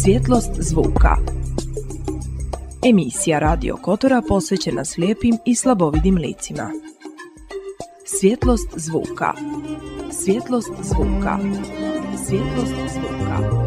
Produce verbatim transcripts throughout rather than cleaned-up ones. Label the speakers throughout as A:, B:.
A: Svjetlost zvuka. Emisija Radio Kotora posvećena slijepim i slabovidim licima. Svjetlost zvuka. Svjetlost zvuka. Svjetlost zvuka.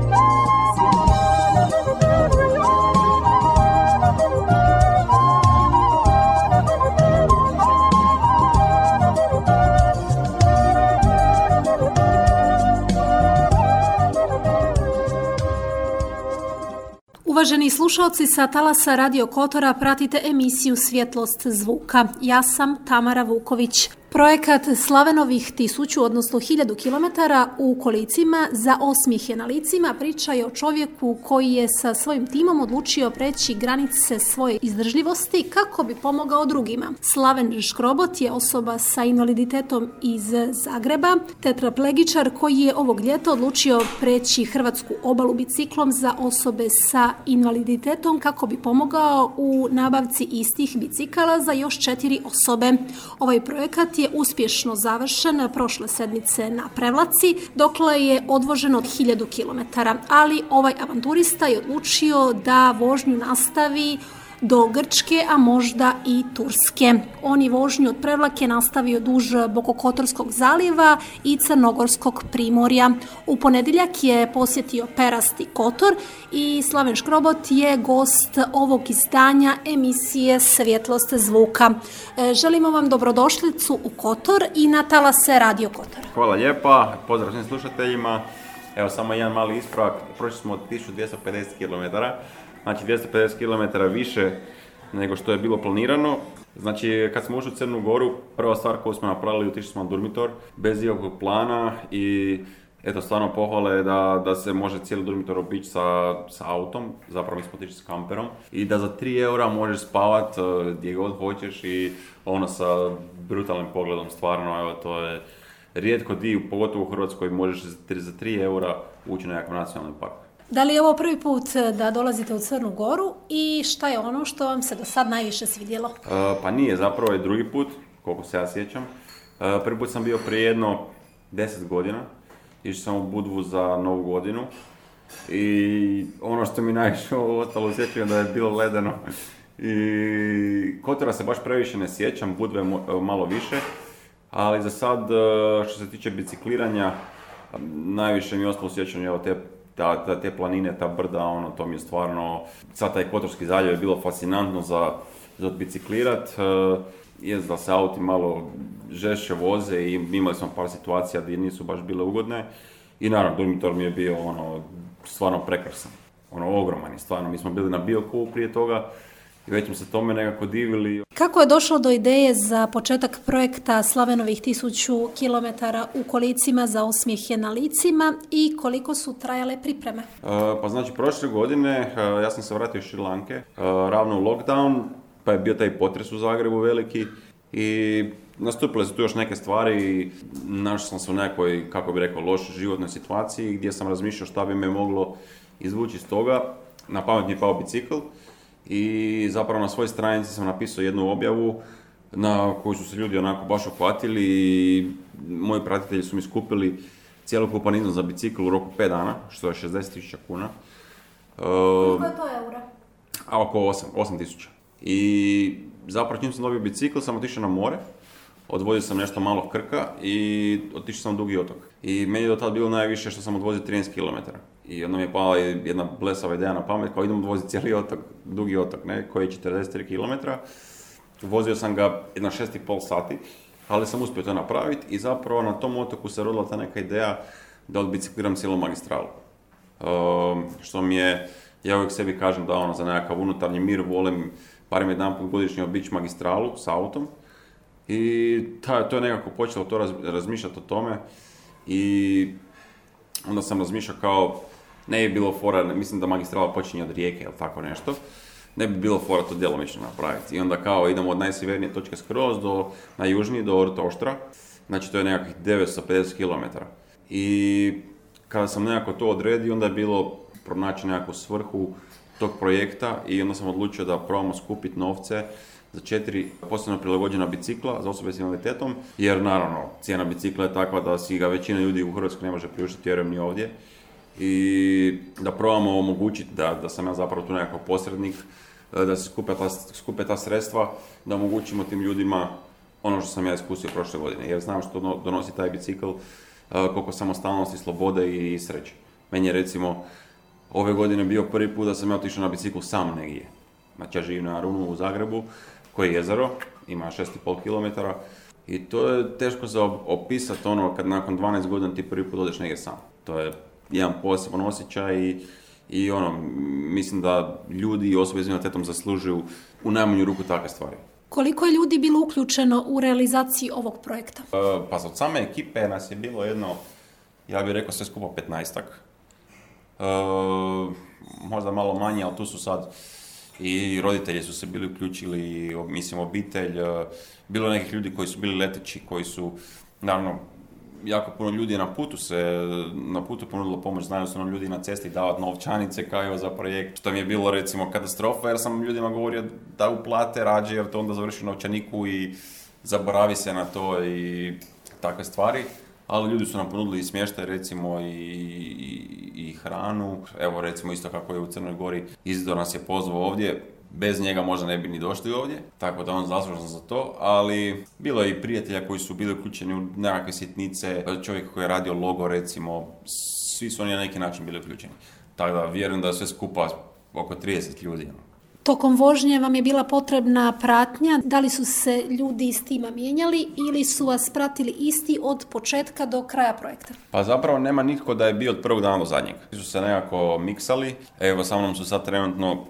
B: Uvaženi slušalci, sa talasa Radio Kotora pratite emisiju Svjetlost zvuka. Ja sam Tamara Vuković. Projekat Slavenovih tisuću, odnosno hiljadu kilometara u kolicima za osmijehe na licima priča je o čovjeku koji je sa svojim timom odlučio preći granice svoje izdržljivosti kako bi pomogao drugima. Slaven Škrobot je osoba sa invaliditetom iz Zagreba, tetraplegičar koji je ovog ljeta odlučio preći hrvatsku obalu biciklom za osobe sa invaliditetom kako bi pomogao u nabavci istih bicikala za još četiri osobe. Ovaj projekat je uspješno završen prošle sedmice na Prevlaci, dokle je odvoženo od hiljadu kilometara, ali ovaj avanturista je odlučio da vožnju nastavi do Grčke, a možda i Turske. On je vožnju od Prevlake nastavio duž Bokokotorskog zaljeva i Crnogorskog primorja. U ponedjeljak je posjetio Perasti Kotor i Slaven Škrobot je gost ovog izdanja emisije Svjetlost zvuka. Želimo vam dobrodošlicu u Kotor i na talase Radio Kotor.
C: Hvala lijepa, pozdrav svim slušateljima. Evo samo jedan mali ispravak, prošli smo od tisuću dvjesto pedeset kilometara. Znači dvjesto pedeset kilometara više nego što je bilo planirano. Znači kad smo ušli u Crnu Goru, prva stvar koju smo napravili, otišli smo na Durmitor bez ikakvog plana i eto stvarno pohvale da, da se može cijeli Durmitor obići sa, sa autom, zapravo mi smo otišli s kamperom i da za tri eura možeš spavat gdje god hoćeš i ono sa brutalnim pogledom, stvarno evo to je rijetko di, pogotovo u Hrvatskoj možeš za tri eura ući na nekakav nacionalni park.
B: Da li je ovo prvi put da dolazite u Crnu Goru i šta je ono što vam se do sad najviše svidjelo?
C: Uh, pa nije, zapravo je drugi put, koliko se ja sjećam. Uh, prvi put sam bio prije jedno deset godina, išao sam u Budvu za Novu godinu i ono što mi najviše ostalo sjećam da je bilo ledeno. I Kotora se baš previše ne sjećam, Budve malo više, ali za sad što se tiče bicikliranja, najviše mi je ostalo sjećanje evo te Ta, ta, te planine, ta brda, ono, to mi je stvarno, sad taj Kotorski zaljev je bilo fascinantno za, za biciklirat, e, je da se auti malo žešće voze i imali smo par situacija gdje nisu baš bile ugodne i naravno Durmitor mi je bio ono, stvarno prekrasan, ono ogroman i stvarno, mi smo bili na Biokovu prije toga i već smo se tome nekako divili.
B: Kako je došlo do ideje za početak projekta Slavenovih tisuću kilometara u kolicima za osmijehe na licima i koliko su trajale pripreme?
C: Uh, pa znači prošle godine uh, ja sam se vratio iz Šri Lanke, uh, ravno u lockdown, pa je bio taj potres u Zagrebu veliki i nastupile su tu još neke stvari i našao sam se u nekoj, kako bi rekao, lošoj životnoj situaciji gdje sam razmišljao šta bi me moglo izvući iz toga. Na pamet mi je pao bicikl. I zapravo na svojoj stranici sam napisao jednu objavu na koju su se ljudi onako baš uhvatili i moji pratitelji su mi skupili cjelokupan iznos za bicikl u roku pet dana, što je šezdeset tisuća kuna.
B: Koliko je to eura?
C: A oko osam tisuća. I zapravo čim sam dobio bicikl sam otišao na more, odvozio sam nešto malo Krka i otišao sam na Dugi otok. I meni je do tada bilo najviše što sam odvozio trinaest kilometara. I onda mi je pala jedna blesava ideja na pamet, kao idem odvoziti cijeli otok, Dugi otok, ne, koji je četrdeset tri kilometra. Vozio sam ga jedno šest i pol sati, ali sam uspio to napraviti i zapravo na tom otoku se rodila ta neka ideja da odbicikliram cijelu magistralu. Um, što mi je, ja uvijek sebi kažem da ono, za nekakav unutarnji mir volim barem jedan put godišnje obići magistralu s autom. I ta, to je nekako počelo to raz, razmišljati o tome i onda sam razmišljao kao, ne bi bilo fora, mislim da magistrala počinje od Rijeke ili tako nešto, ne bi bilo fora to djelomično napraviti. I onda kao idemo od najsjevernije točke skroz do najjužnije, do Ortoštra, znači to je nekakvih devetsto pedeset kilometara. I kada sam nekako to odredio, onda je bilo pronaći nekakvu svrhu tog projekta i onda sam odlučio da probamo skupiti novce za četiri posebno prilagođena bicikla za osobe s invaliditetom, jer naravno cijena bicikla je takva da si ga većina ljudi u Hrvatskoj ne može priuštiti, vjerujem ni ovdje. i da probamo omogućiti da, da sam ja zapravo tu nekakav posrednik, da se skupe ta, skupe ta sredstva, da omogućimo tim ljudima ono što sam ja iskusio prošle godine, jer znam što donosi taj bicikl, koliko samostalnosti, slobode i sreće. Meni je recimo ove godine bio prvi put da sam ja otišao na biciklu sam negdje. Znači ja živim na Arunu u Zagrebu, koje je jezero, ima šest i pol kilometara i to je teško za opisati ono kad nakon dvanaest godina ti prvi put odeš negdje sam. To je jedan poseban osjećaj i, i ono, mislim da ljudi i osobe s invaliditetom zaslužuju u najmanju ruku takve stvari.
B: Koliko je ljudi bilo uključeno u realizaciji ovog projekta?
C: E, pa od same ekipe nas je bilo jedno, ja bih rekao sve skupo petnaestak. E, možda malo manje, ali tu su sad i roditelji su se bili uključili, mislim obitelj, bilo nekih ljudi koji su bili leteći, koji su, naravno, jako puno ljudi je na putu se, na putu ponudilo pomoć, znaju su nam ljudi na cesti davati novčanice kao za projekt, što mi je bilo recimo katastrofa jer sam ljudima govorio da uplate rađe jer to onda završi u novčaniku i zaboravi se na to i takve stvari. Ali ljudi su nam ponudili i smještaj recimo i, i, i hranu. Evo recimo isto kako je u Crnoj Gori Izidor nas je pozvao ovdje. Bez njega možda ne bi ni došli ovdje, tako da on zaslužan za to, ali bilo je i prijatelja koji su bili uključeni u nekakve sitnice, čovjek koji je radio logo recimo, svi su oni na neki način bili uključeni. Tako da vjerujem da je sve skupa oko trideset ljudi.
B: Tokom vožnje vam je bila potrebna pratnja, da li su se ljudi iz tima mijenjali ili su vas pratili isti od početka do kraja projekta?
C: Pa zapravo nema nitko da je bio od prvog dana do zadnjeg. Svi su se nekako miksali, evo sa mnom su sad trenutno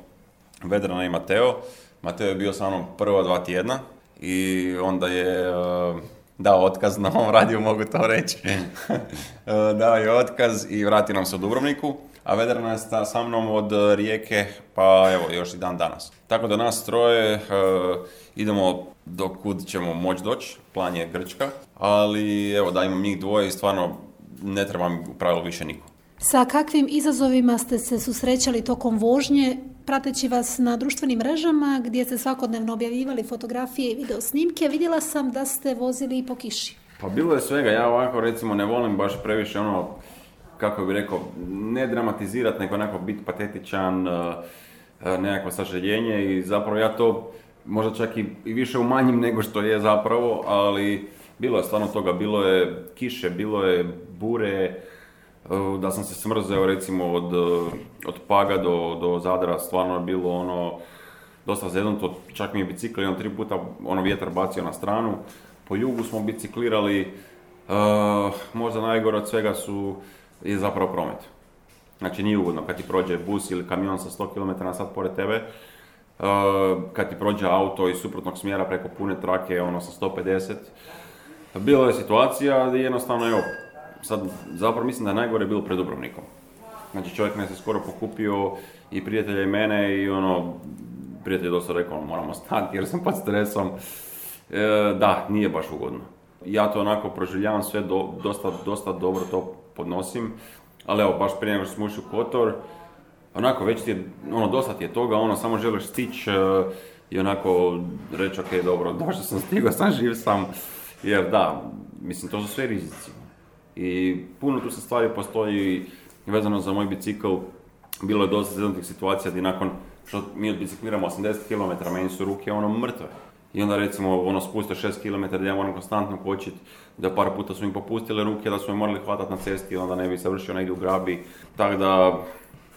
C: Vedrana i Mateo. Mateo je bio sa mnom prva dva tjedna i onda je uh, dao otkaz na ovom radiju, mogu to reći. uh, dao je otkaz i vratio nam se u Dubrovniku, a Vedrana je sa mnom od Rijeke, pa evo, još i dan danas. Tako da nas troje uh, idemo do kud ćemo moći doći, plan je Grčka, ali evo da imam njih dvoje i stvarno ne treba mi u pravilu više niko.
B: Sa kakvim izazovima ste se susrećali tokom vožnje, prateći vas na društvenim mrežama gdje ste svakodnevno objavljivali fotografije i video snimke, vidjela sam da ste vozili i po kiši.
C: Pa bilo je svega, ja ovako recimo ne volim baš previše ono, kako bih rekao, ne dramatizirati, nego onako biti patetičan, nekakvo sažaljenje i zapravo ja to možda čak i, i više umanjim nego što je zapravo, ali bilo je stvarno toga, bilo je kiše, bilo je bure, da sam se smrzeo recimo od, od Paga do, do Zadra, stvarno je bilo ono dosta zeznuto, čak mi je bicikl jedan tri puta ono vjetar bacio na stranu, po jugu smo biciklirali, uh, možda najgore od svega su je zapravo promet. Znači nije ugodno kad ti prođe bus ili kamion sa sto kilometara na sat pored tebe, uh, kad ti prođe auto iz suprotnog smjera preko pune trake ono sa sto pedeset. Bila je situacija gdje jednostavno evo, sad zapravo mislim da je najgore bilo pred Dubrovnikom. Znači čovjek me se skoro pokupio i prijatelja i mene i ono, prijatelj je dosta rekao moramo stati jer sam pod stresom. E, da, nije baš ugodno. Ja to onako proživljavam sve, do, dosta, dosta dobro to podnosim, ali evo baš prije nego što smo ušli u Kotor, onako već ti je, ono dosta ti je toga, ono samo želiš stići uh, i onako reći ok, dobro, došao sam, stigao sam, živ sam, jer da, mislim to su sve rizici. I puno tu se stvari postoji vezano za moj bicikl, bilo je dosta zeznutih situacija gdje nakon što mi odbicikliramo osamdeset kilometara, meni su ruke ono mrtve. I onda recimo ono spuste šest kilometara gdje ja moram konstantno kočiti, da par puta su mi popustile ruke, da su me morali hvatati na cesti i onda ne bi završio negdje u grabi, tako da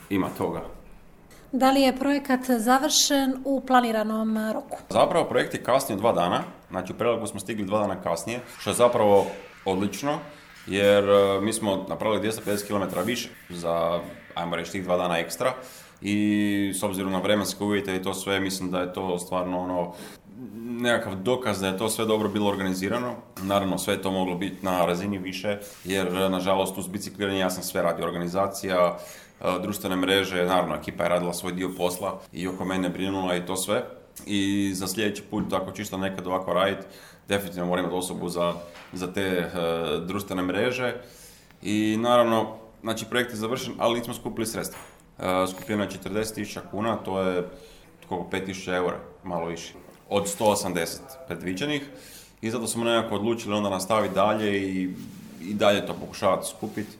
C: ima toga.
B: Da li je projekat završen u planiranom roku?
C: Zapravo projekt je kasnije dva dana, znači u Prelepu smo stigli dva dana kasnije, što je zapravo odlično, jer mi smo napravili dvjesto pedeset kilometara više za, ajmo reći, tih dva dana ekstra i s obzirom na vremenske uvjete i to sve, mislim da je to stvarno ono, nekakav dokaz da je to sve dobro bilo organizirano. Naravno, sve je to moglo biti na razini više, jer nažalost uz bicikliranje ja sam sve radio, organizacija, društvene mreže, naravno ekipa je radila svoj dio posla i oko mene brinula i to sve. I za sljedeći put, ako ću isto nekad ovako raditi, definitivno moram imati osobu za, za te uh, društvene mreže. I naravno, znači projekt je završen, ali nismo skupili sredstva. Uh, skupljeno je četrdeset tisuća kuna, to je koliko, pet tisuća eura, malo više, od sto osamdeset predviđenih. I zato smo nekako odlučili onda nastaviti dalje i, i dalje to pokušavati skupiti.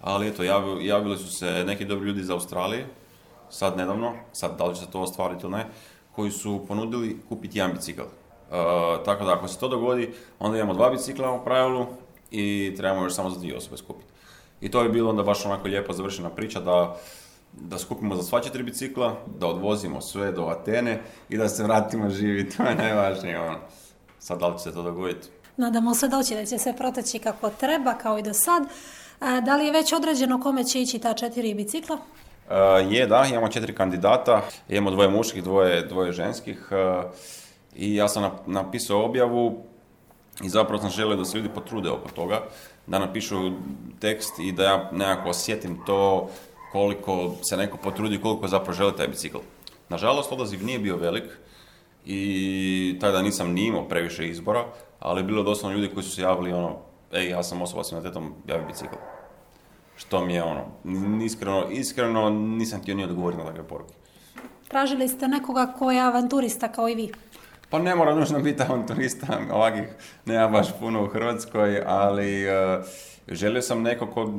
C: Ali eto, javili, javili su se neki dobri ljudi iz Australije, sad nedavno, sad da li će se to ostvariti ili ne, koji su ponudili kupiti jedan bicikl. Uh, tako da ako se to dogodi, onda imamo dva bicikla u pravilu i trebamo još samo za dvije osobe skupiti. I to je bilo onda baš onako lijepo završena priča da, da skupimo za sva četiri bicikla, da odvozimo sve do Atene i da se vratimo živi, to je najvažnije. Ono. Sad da li će se to dogoditi?
B: Nadamo se doći da će sve proteći kako treba, kao i do sad. Da li je već određeno kome će ići ta četiri bicikla?
C: Uh, je, da, imamo četiri kandidata, imamo dvoje muških, dvoje, dvoje ženskih uh, i ja sam napisao objavu i zapravo sam želio da se ljudi potrude oko toga, da napišu tekst i da ja nekako osjetim to koliko se neko potrudi, koliko zapravo želi taj bicikl. Nažalost, odaziv nije bio velik i tada nisam ni imao previše izbora, ali je bilo doslovno ljudi koji su se javili ono, ej, ja sam osoba s invaliditetom, javi bicikl. Što mi je ono, iskreno, iskreno nisam htio ni odgovoriti na takve poruke.
B: Tražili ste nekoga ko je avanturista kao i vi?
C: Pa ne mora nužno biti avanturista, ovakih nema baš puno u Hrvatskoj, ali uh, želio sam neko ko,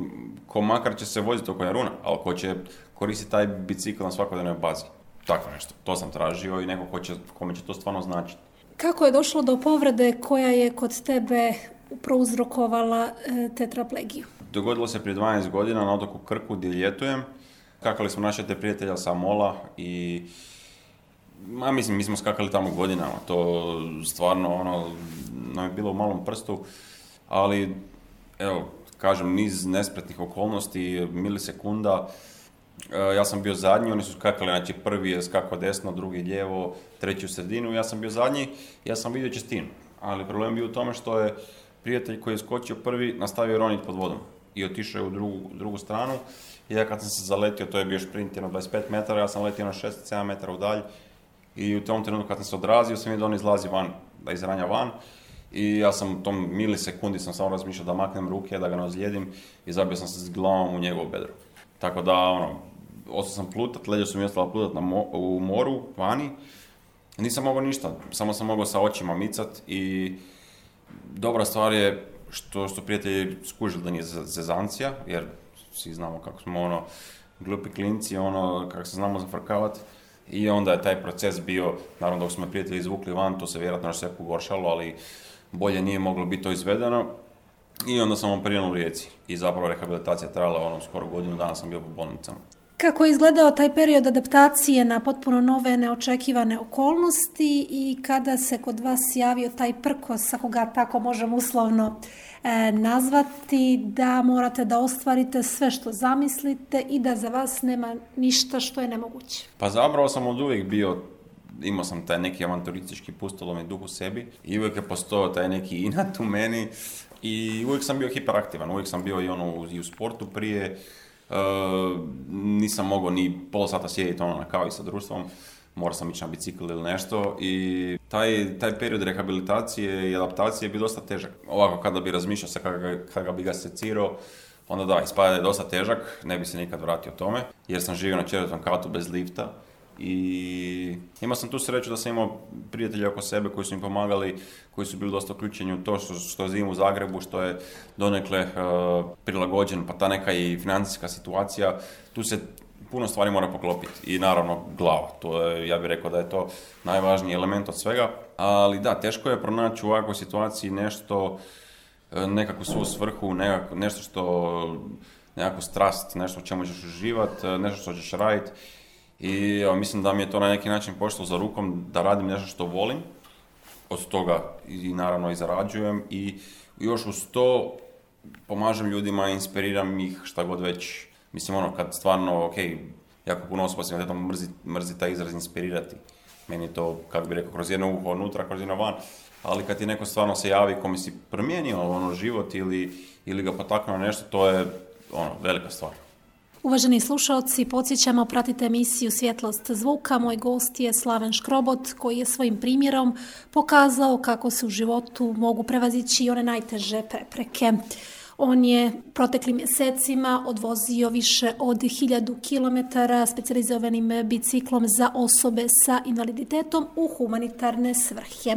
C: ko makar će se voziti oko Jaruna, ali ko će koristiti taj bicikl na svakodnevnoj bazi. Tako nešto, to sam tražio i neko ko će, kome će to stvarno značiti.
B: Kako je došlo do povrede koja je kod tebe prouzrokovala e, tetraplegiju?
C: Dogodilo se prije dvanaest godina na otoku Krku gdje ljetujem. Skakali smo naše te prijatelja sa mola i ma mislim, mi smo skakali tamo godinama, to stvarno ono, nam je bilo u malom prstu, ali evo, kažem, niz nespretnih okolnosti, milisekunda, ja sam bio zadnji, oni su skakali, znači prvi je skakao desno, drugi lijevo, treći u sredinu, ja sam bio zadnji, ja sam vidio čistinu, ali problem bio u tome što je prijatelj koji je skočio prvi nastavio roniti pod vodom i otišao je u drugu, drugu stranu. I ja kad sam se zaletio, to je bio šprint na dvadeset pet metara, ja sam letio na šezdeset sedam metara u dalj i u tom trenutku kad sam se odrazio sam vidio da on izlazi van, da izranja van i ja sam u tom milisekundi sam samo razmišljao da maknem ruke, da ga ne ozlijedim i zabio sam se s glavom u njegovo bedro. Tako da, ono, ostao sam plutat, leđa su mi ostala plutat na mo- u moru, vani. Nisam mogao ništa, samo sam mogao sa očima micat i dobra stvar je što su prijatelji skužili da nije zezancija, jer svi znamo kako smo ono glupi klinci, ono kako se znamo zafrkavati. I onda je taj proces bio, naravno dok smo prijatelji izvukli van, to se vjerojatno još sve pogoršalo, ali bolje nije moglo biti to izvedeno. I onda sam operiran u Rijeci i zapravo rehabilitacija trajala ono skoro godinu dana sam bio po bolnicama.
B: Kako je izgledao taj period adaptacije na potpuno nove, neočekivane okolnosti i kada se kod vas javio taj prkos, ako ga tako možemo uslovno e, nazvati, da morate da ostvarite sve što zamislite i da za vas nema ništa što je nemoguće?
C: Pa zapravo sam od uvijek bio, imao sam taj neki avanturistički pustolovni duh u sebi i uvijek je postojao taj neki inat u meni i uvijek sam bio hiperaktivan, uvijek sam bio i, ono, i u sportu prije. Uh, nisam mogao ni pola sata sjediti ono na kavi sa društvom, morao sam ići na bicikl ili nešto i taj, taj period rehabilitacije i adaptacije je bio dosta težak. Ovako kada bi razmišljao se kada, kada bi ga secirao, onda da, ispada da je dosta težak, ne bi se nikad vratio tome, jer sam živio na četvrtom katu bez lifta i imao sam tu sreću da sam imao prijatelje oko sebe koji su mi pomagali, koji su bili dosta uključeni u to što, što živim u Zagrebu, što je donekle uh, prilagođen, pa ta neka i financijska situacija, tu se puno stvari mora poklopiti i naravno glava, to je, ja bih rekao da je to najvažniji element od svega, ali da, teško je pronaći u ovakvoj situaciji nešto, nekakvu svoju svrhu, nekako, nešto što, nekakvu strast, nešto u čemu ćeš uživati, nešto što ćeš raditi. I evo, mislim da mi je to na neki način pošlo za rukom da radim nešto što volim, od toga i naravno i zarađujem i još uz to pomažem ljudima, inspiriram ih šta god već. Mislim ono kad stvarno, ok, jako puno osoba s invaliditetom mrzi, mrzi taj izraz inspirirati. Meni je to, kako bi rekao, kroz jedno uho unutra, kroz jedno van, ali kad ti neko stvarno se javi kome si promijenio ono, život ili, ili ga potaknuo na nešto, to je ono, velika stvar.
B: Uvaženi slušalci, podsjećamo, pratite emisiju Svjetlost zvuka. Moj gost je Slaven Škrobot, koji je svojim primjerom pokazao kako se u životu mogu prevazići one najteže prepreke. On je proteklim mjesecima odvozio više od hiljadu kilometara specijalizovanim biciklom za osobe sa invaliditetom u humanitarne svrhe.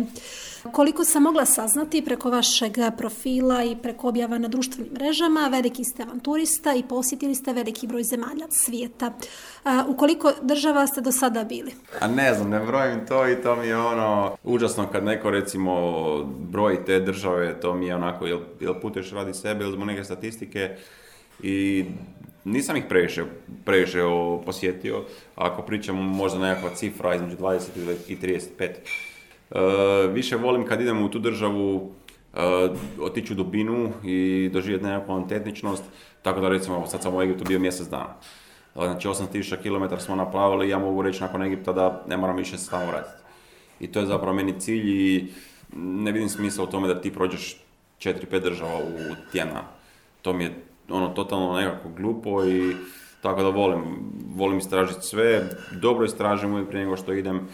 B: Koliko sam mogla saznati preko vašeg profila i preko objava na društvenim mrežama, veliki ste avanturista i posjetili ste veliki broj zemalja svijeta. A, u koliko država ste do sada bili?
C: A ne znam, ne brojim to i to mi je ono užasno kad neko recimo broji te države, to mi je onako, jel, jel putuješ radi sebe ili zbog neke statistike i nisam ih previše, previše posjetio. Ako pričamo možda nekakva cifra između dvadeset i trideset pet. Uh, više volim kad idem u tu državu uh, otići u dubinu i doživjeti nekakvu autentičnost, tako da recimo sad sam u Egiptu bio mjesec dana. Znači osam tisuća kilometara smo napravili i ja mogu reći nakon Egipta da ne moram više se tamo vratiti. I to je zapravo meni cilj i ne vidim smisla u tome da ti prođeš četiri pet država u tjedan. To mi je ono totalno nekako glupo i tako da volim, volim istražiti sve, dobro istražim uvijek prije nego što idem.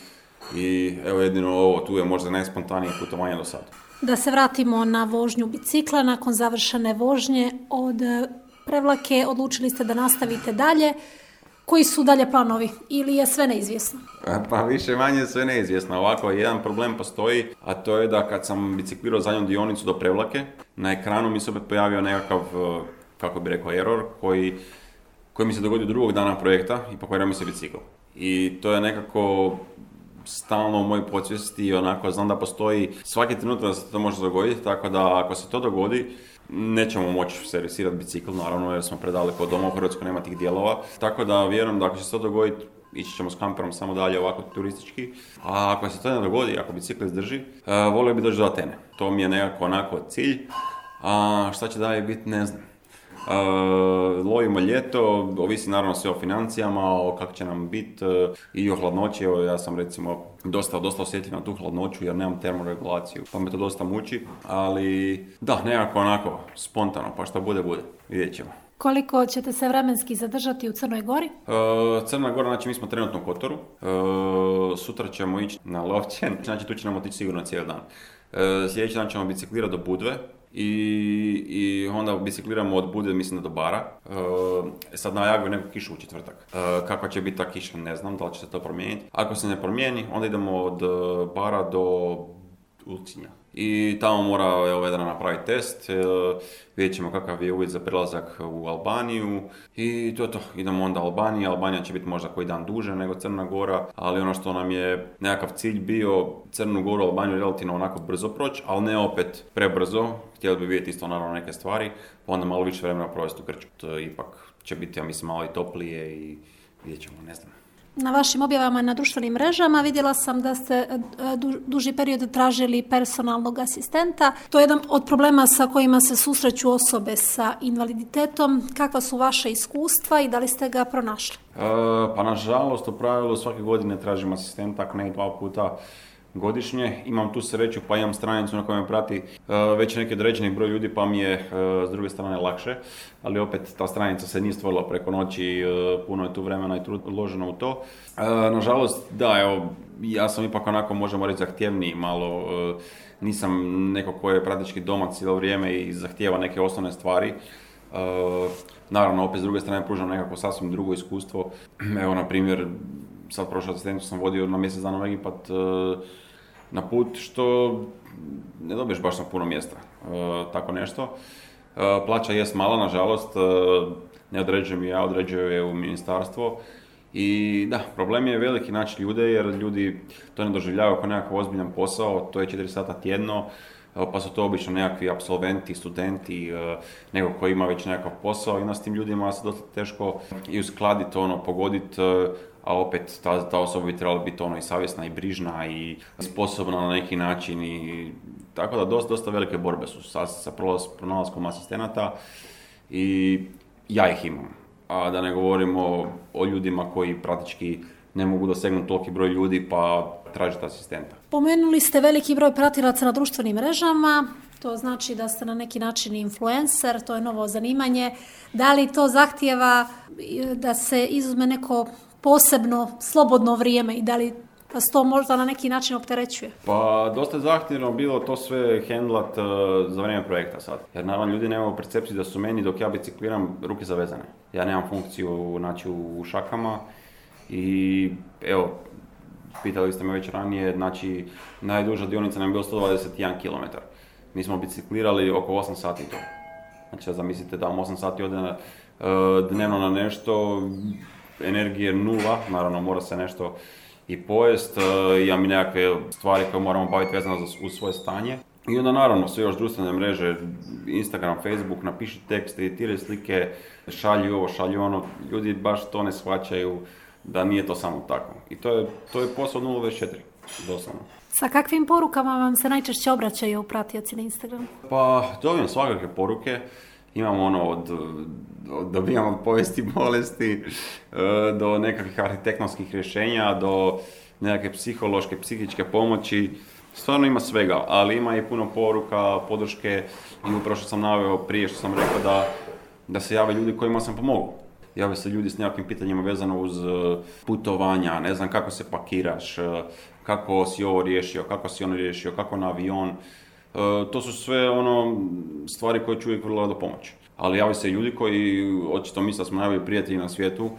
C: I evo jedino ovo, tu je možda najspontanije putovanje do sada.
B: Da se vratimo na vožnju bicikla, nakon završene vožnje od Prevlake odlučili ste da nastavite dalje. Koji su dalje planovi ili je sve neizvjesno?
C: Pa više manje sve neizvjesno. Ovako, jedan problem postoji, a to je da kad sam biciklirao zadnju dionicu do Prevlake, na ekranu mi se opet pojavio nekakav, kako bi rekao, error koji, koji mi se dogodio drugog dana projekta i pokvario mi se bicikl. I to je nekako stalno u mojoj podsvijesti i onako znam da postoji svaki trenutak da se to može dogoditi, tako da ako se to dogodi nećemo moći servisirati bicikl, naravno jer smo predaleko od doma, u Hrvatskoj nema tih dijelova, tako da vjerujem da ako će se to dogoditi ići ćemo s kamperom samo dalje ovako turistički, a ako se to ne dogodi, ako bicikl izdrži, uh, volio bi doći do Atene. To mi je nekako onako cilj, a šta će dalje biti ne znam. Uh, lovimo ljeto, ovisi naravno sve o financijama, o kako će nam biti uh, i o hladnoći. Evo, ja sam recimo dosta, dosta osjetljiv na tu hladnoću jer nemam termoregulaciju, pa me to dosta muči, ali da, nekako onako spontano, pa šta bude, bude, vidjet ćemo.
B: Koliko ćete se vremenski zadržati u Crnoj Gori?
C: Uh, Crna Gora, znači mi smo trenutno u Kotoru, uh, sutra ćemo ići na Lovćen, znači tu će nam otići sigurno cijeli dan. Uh, sljedeći dan ćemo biciklirati do Budve. I, i onda bicikliramo od Budve, mislim, do Bara. E, sad najavio neku kišu u četvrtak. E, kakva će biti ta kiša, ne znam, da li će se to promijeniti. Ako se ne promijeni, onda idemo od Bara do Ulcinja. I tamo mora evo, Vedrana napraviti test, e, vidjet ćemo kakav je uvjet za prelazak u Albaniju i to je to. Idemo onda Albanija, Albanija će biti možda koji dan duže nego Crna Gora, ali ono što nam je nekakav cilj bio, Crnu Goru, Albaniju relativno onako brzo proći, ali ne opet prebrzo, htjeli bi vidjeti isto naravno neke stvari, pa onda malo više vremena provesti u Grčku. To ipak će biti, ja mislim, malo i toplije i vidjet ćemo, ne znam.
B: Na vašim objavama na društvenim mrežama vidjela sam da ste du, duži period tražili personalnog asistenta. To je jedan od problema sa kojima se susreću osobe sa invaliditetom. Kakva su vaše iskustva i da li ste ga pronašli?
C: E, pa nažalost, u pravilu svake godine tražim asistenta, ako ne dva puta godišnje. Imam tu sreću pa imam stranicu na kojoj me prati uh, već neki određeni broj ljudi pa mi je uh, s druge strane lakše, ali opet ta stranica se nije stvorila preko noći, uh, puno je tu vremena i trud uloženo u to. Uh, nažalost, da, evo, ja sam ipak onako, možemo reći, zahtjevniji malo, uh, nisam neko ko je praktički doma cijelo vrijeme i zahtijeva neke osnovne stvari. Uh, naravno, opet s druge strane pružam nekako sasvim drugo iskustvo. Evo, na primjer, sad prošlu asistentu sam vodio na mjesec dana u Egipat uh, na put, što ne dobiješ baš na puno mjesta, uh, tako nešto. Uh, plaća jest mala, nažalost, uh, ne određujem ja, određuju je u ministarstvo. I da, problem je veliki naći ljude, jer ljudi to ne doživljavaju kao nekakav ozbiljan posao, to je četiri sata tjedno, pa su to obično nekakvi apsolventi, studenti, neko koji ima već nekakav posao i onda s tim ljudima se dosta teško i uskladiti, ono, pogoditi, a opet ta, ta osoba bi trebala biti ono i savjesna i brižna i sposobna na neki način i tako da dosta, dosta velike borbe su sa, sa pronalaskom asistenata i ja ih imam. A da ne govorimo o ljudima koji praktički ne mogu dosegnuti toliki broj ljudi pa tražiti asistenta.
B: Pomenuli ste veliki broj pratilaca na društvenim mrežama, to znači da ste na neki način influencer, to je novo zanimanje. Da li to zahtijeva da se izuzme neko posebno slobodno vrijeme i da li Pa se to možda na neki način opterećuje?
C: Pa dosta zahtjevno bilo to sve handlat uh, za vrijeme projekta sad. Jer naravno ljudi nemaju percepciju da su meni dok ja bicikliram ruke zavezane. Ja nemam funkciju znači, u šakama i evo, pitali ste me već ranije, znači najduža dionica nam je bilo sto dvadeset jedan kilometar. Mi smo biciklirali oko osam sati to. Znači zamislite da vam osam sati ode uh, dnevno na nešto, energije nula, naravno mora se nešto i pojest, imam i nekakve stvari koje moramo baviti vezano uz svoje stanje. I onda naravno sve još društvene mreže, Instagram, Facebook, napiši tekst, editiraj slike, šalji ovo, šalji ono, ljudi baš to ne shvaćaju da nije to samo tako. I to je, to je posao nula dvadeset četiri, doslovno.
B: Sa kakvim porukama vam se najčešće obraćaju pratioci na Instagramu?
C: Pa dobijem svakakve poruke. Imamo ono od, od dobijamo od povijesti bolesti do nekakvih arhitektonskih rješenja, do nekakve psihološke, psihičke pomoći. Stvarno ima svega, ali ima i puno poruka, podrške i upravo što sam naveo prije što sam rekao da, da se jave ljudi kojima sam pomogao. Jave se ljudi s nekakvim pitanjima vezano uz putovanja, ne znam kako se pakiraš, kako si ovo riješio, kako si ono riješio, kako na avion. Uh, to su sve ono stvari koje ću uvijek vrlo rado pomoći. Ali javljaju se ljudi koji očito misle da smo najbolji prijatelji na svijetu,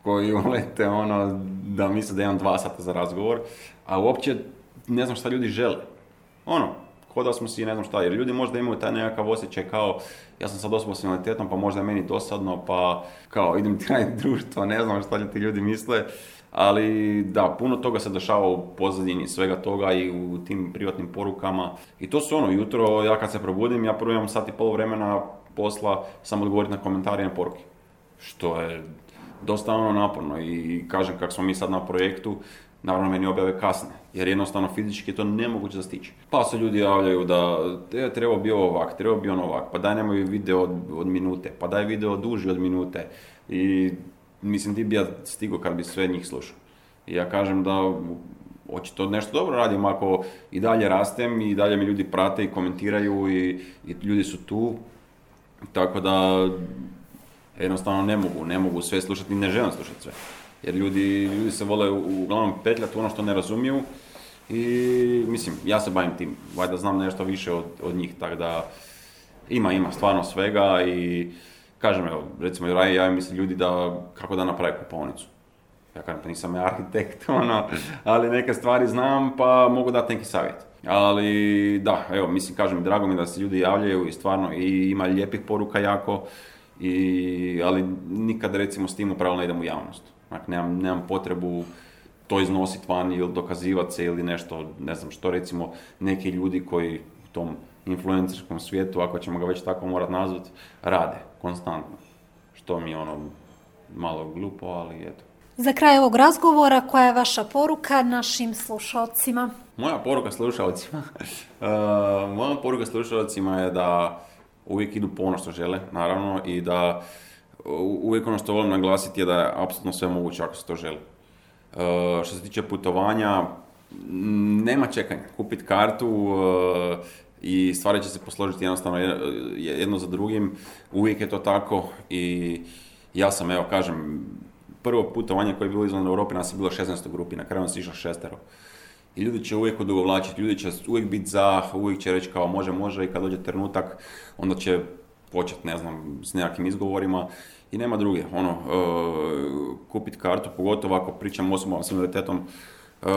C: koji ulete ono da misle da imam dva sata za razgovor, a uopće ne znam šta ljudi žele. Ono, ko da smo si ne znam šta, jer ljudi možda imaju taj nekakav osjećaj kao ja sam sad osoba s invaliditetom pa možda je meni dosadno pa kao idem ti raditi društvo, ne znam šta ti ljudi misle. Ali da, puno toga se dešava u pozadini svega toga i u tim privatnim porukama. I to su ono, jutro ja kad se probudim, ja prvo imam sat i pol vremena posla samo odgovoriti na komentare i na poruke. Što je dosta ono naporno i kažem kako smo mi sad na projektu, naravno meni objave kasne, jer jednostavno fizički je to nemoguće da stići. Pa se ljudi javljaju da e, treba bi ovak, treba bi on ovak, pa daj nemoj video od, od minute, pa daj video duži od minute. I mislim ti bi ja stigao kad bi sve njih slušao. I ja kažem da očito nešto dobro radim ako i dalje rastem i dalje mi ljudi prate i komentiraju i, i ljudi su tu. Tako da jednostavno ne mogu, ne mogu sve slušati i ne želim slušati sve. Jer ljudi, ljudi se vole uglavnom petljati ono što ne razumiju i mislim, ja se bavim tim, valjda znam nešto više od, od njih, tako da ima, ima stvarno svega i kažem, evo, recimo, ja mislim ljudi da, kako da napravi kupovnicu. Ja kažem, pa nisam ja arhitekt, ono, ali neke stvari znam, pa mogu dati neki savjet. Ali, da, evo, mislim, kažem, drago mi da se ljudi javljaju i stvarno, i ima lijepih poruka jako, i, ali nikad, recimo, s tim upravo ne idem u javnost. Dakle, nemam, nemam potrebu to iznositi van ili dokazivati se ili nešto, ne znam što, recimo, neki ljudi koji u tom influencerskom svijetu, ako ćemo ga već tako morat nazvati, rade konstantno. Što mi je ono malo glupo, ali eto.
B: Za kraj ovog razgovora, koja je vaša poruka našim slušalcima?
C: Moja poruka slušalcima? uh, moja poruka slušalcima je da uvijek idu po ono što žele, naravno, i da uvijek ono što volim naglasiti je da je apsolutno sve moguće ako se to želi. Uh, što se tiče putovanja, nema čekanja. Kupiti kartu uh, i stvari će se posložiti jednostavno jedno za drugim. Uvijek je to tako i ja sam, evo kažem, prvo putovanje koje je bilo izvan Europe nas je bilo šesnaest u grupi, na kraju nas je išlo šestero. I ljudi će uvijek odugovlačiti, ljudi će uvijek biti za, uvijek će reći kao može, može i kad dođe trenutak onda će početi, ne znam, s nekakvim izgovorima i nema druge. Ono, uh, kupiti kartu, pogotovo ako pričam osobama s invaliditetom, Uh,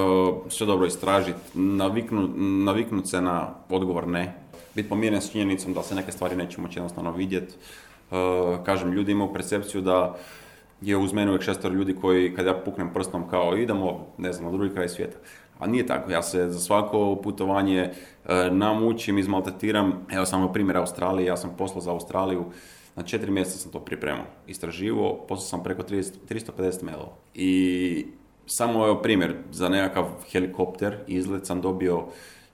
C: sve dobro istražiti, naviknut, naviknut se na odgovor ne, biti pomiren s činjenicom da se neke stvari neće moći jednostavno vidjeti. Uh, kažem, ljudi imaju percepciju da je uz mene uvijek šestero ljudi koji kad ja puknem prstom kao idemo, ne znam, na drugi kraj svijeta. A nije tako, ja se za svako putovanje uh, namučim, izmaltretiram. Evo samo primjer Australije, ja sam poslao za Australiju, na četiri mjeseca sam to pripremao, istraživao, poslao sam preko tristo pedeset mailova. I samo evo primjer, za nekakav helikopter izlet sam dobio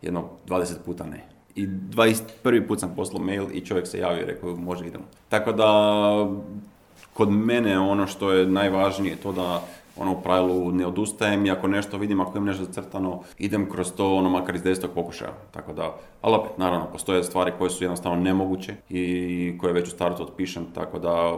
C: jedno dvadeset puta ne. I dvadeset prvi put sam poslao mail i čovjek se javio i rekao može idemo. Tako da kod mene ono što je najvažnije to da ono u pravilu ne odustajem i ako nešto vidim, ako imam nešto zacrtano, idem kroz to ono makar iz desetog pokušaja. Tako da, ali opet naravno postoje stvari koje su jednostavno nemoguće i koje već u startu otpišem, tako da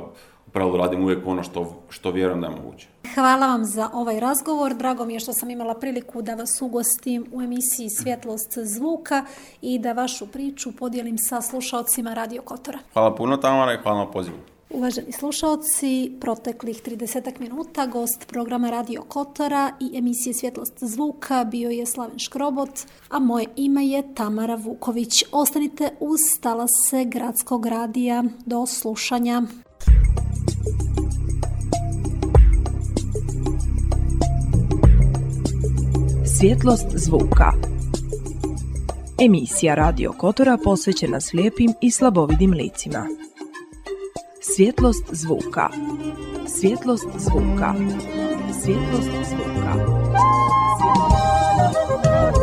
C: u pravilu radim uvijek ono što, što vjerujem da je moguće.
B: Hvala vam za ovaj razgovor. Drago mi je što sam imala priliku da vas ugostim u emisiji Svjetlost zvuka i da vašu priču podijelim sa slušaocima Radio Kotora.
C: Hvala puno, Tamara, i hvala na pozivu.
B: Uvaženi slušaoci, proteklih trideset minuta gost programa Radio Kotora i emisije Svjetlost zvuka bio je Slaven Škrobot, a moje ime je Tamara Vuković. Ostanite uz talase Gradskog radija. Do slušanja.
A: Svjetlost zvuka. Emisija Radio Kotora posvećena slijepim i slabovidim licima. Svjetlost zvuka. Svjetlost zvuka. Svjetlost zvuka. Svjetlost zvuka.